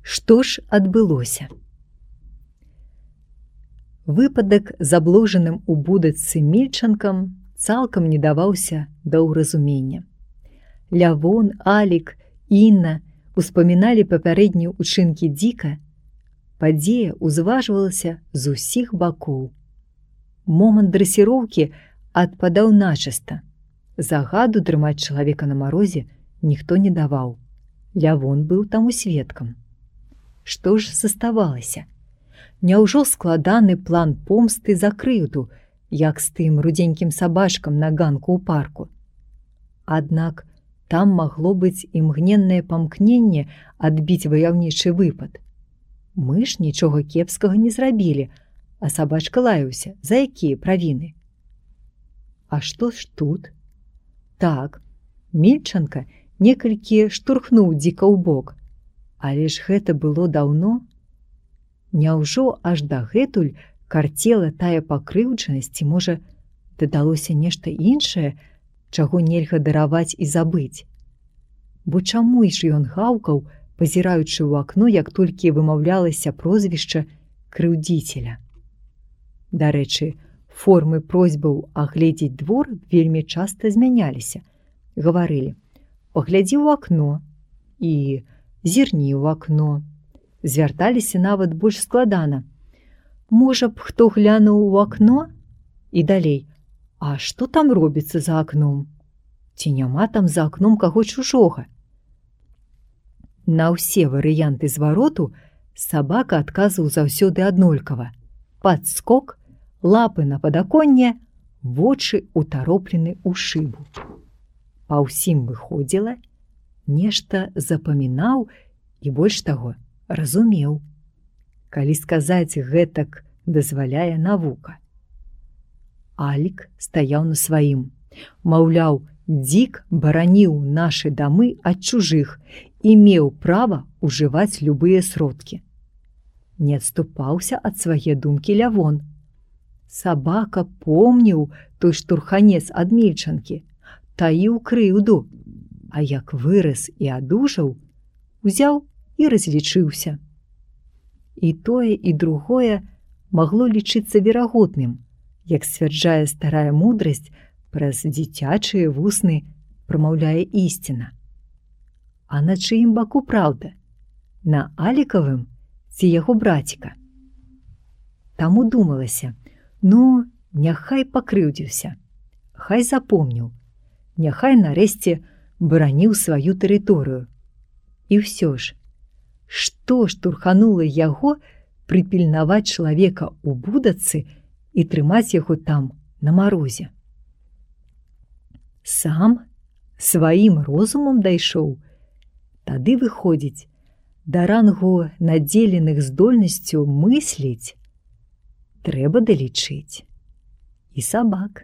Што ж адбылося? Выпадак з абложаным у будачцы мільчанкам цалкам не даваўся да ўразумення. Лявон, Алік, Інна успаміналі папярэднія ўчынкі Дзіка. Падзея ўзважвалася з усіх бакоў. Момант дрэсіроўкі адпадаў начыста. Загаду трымаць чалавека на марозе ніхто не даваў. Лявон быў таму сведкам. Што ж заставалася? Няўжо складаны план помсты за крыўду, як з тым рудзенькім сабачкам на ганку ў парку? Аднак там магло быць імгненнае памкненне адбіць ваяўнічы выпад. Мы ж нічога кепскага не зрабілі, а сабачка лаяўся, за якія правіны. А што ж тут? Так, мільчанка некалькі штурхнуў Дзіка ў бок, але ж гэта было даўно. Няўжо аж дагэтуль карцела тая пакрыўджанасць, ці, можа, дадалося нешта іншае, чаго нельга дараваць і забыць? Бо чаму ж ён гаўкаў, пазіраючы ў акно, як толькі вымаўлялася прозвішча крыўдзіцеля? Дарэчы, формы просьбаў агледзець двор вельмі часта змяняліся. Гаварылі: «Паглядзі ў акно» і «Зірні ў акно». Звярталіся нават больш складана: «Можа б, хто глянуў у акно?» І далей: «А што там робіцца за акном? Ці няма там за акном каго чужога?» На ўсе варыянты звароту сабака адказваў заўсёды аднолькава: падскок, лапы на падаконне, вочы утароплены ў шыбу. Па ўсім выходзіла, нешта запамінаў і, больш таго, разумеў, калі сказаць гэтак дазваляе навука. Алік стаяў на сваім. Маўляў, Дзік бараніў нашы дамы ад чужых і меў права ўжываць любыя сродкі. Не адступаўся ад свае думкі Лявон. Сабака помніў той штурханец ад мільчанкі, таіў крыўду, а як вырас і адужаў, узяў і разлічыўся. І тое, і другое магло лічыцца верагодным, як сцвярджае старая мудрасць, праз дзіцячыя вусны прамаўляе ісціна. А на чыім баку праўда? На Алікавым ці яго браціка? Таму думалася: ну, няхай пакрыўдзіўся, хай запомніў, няхай нарэшце бараніў сваю тэрыторыю. І ўсё ж, што штурханула яго прыпільнаваць чалавека ў будачцы і трымаць яго там на марозе? Сам сваім розумам дайшоў? Тады, выходзіць, да рангу надзеленых здольнасцю мысліць трэба далічыць і сабак.